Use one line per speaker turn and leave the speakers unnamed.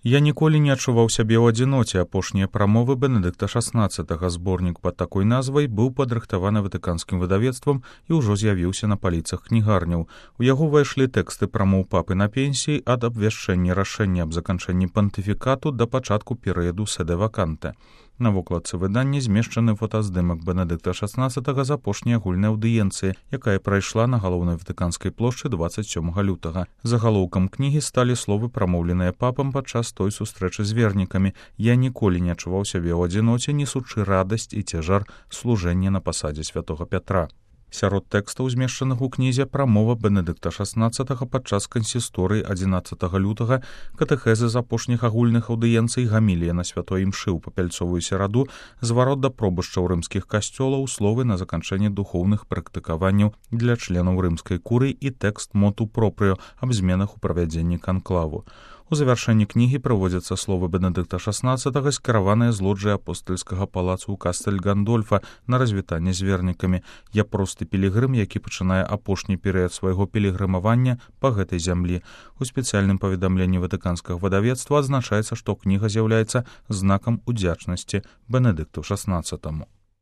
Я ніколі не адчуваў сябе ў адзіноце. Апошнія прамовы Бенедыкта XVI. Зборнік пад такой назвай быў падрыхтаваны ватыканскім выдавецтвам і ўжо з'явіўся на паліцах кнігарняў. У яго ўвайшлі тэксты прамоў папы на пенсіі ад абвяшчэння рашэння аб заканчэнні пантыфікату да пачатку перыяду сэдэ ваканте. На вокладцы выдання змешчаны фотаздымак Бенедыкта XVI з апошняй агульнай аўдыенцыі, якая прайшла на галоўнай ватыканскай плошчы 27 лютага. Загалоўкам кнігі сталі словы, прамоўленыя папам падчас той сустрэчы з вернікамі. Я ніколі не адчуваў сябе ў адзіноце, несучы радасць і цяжар служэння на пасадзе святога Пятра. Сярод тэкстаў, змешчаных у кнізе, прамова Бенедыкта XVI падчас кансісторыі 11 лютага, катэхезы з апошніх агульных аўдыенцый, гамілія на святой імшы ў папяльцовую сераду, зварот да пробышчаў рымскіх касцёлаў, словы на заканчэнне духоўных практыкаванняў для членаў рымскай курыі і тэкст моту пропрыо аб зменах у правядзенні канклаву. У завяршэнні кнігі прыводзяцца словы Бенедыкта XVI, скіраваныя з лоджыі апостальскага палацу ў Кастэль Гандольфа на развітанне з вернікамі. Я просты пілігрым, які пачынае апошні перыяд свайго пілігрымавання па гэтай зямлі. У спецыяльным паведамленні ватыканскага выдавецтва адзначаецца, што кніга з'яўляецца знакам удзячнасці Бенедыкту XVI.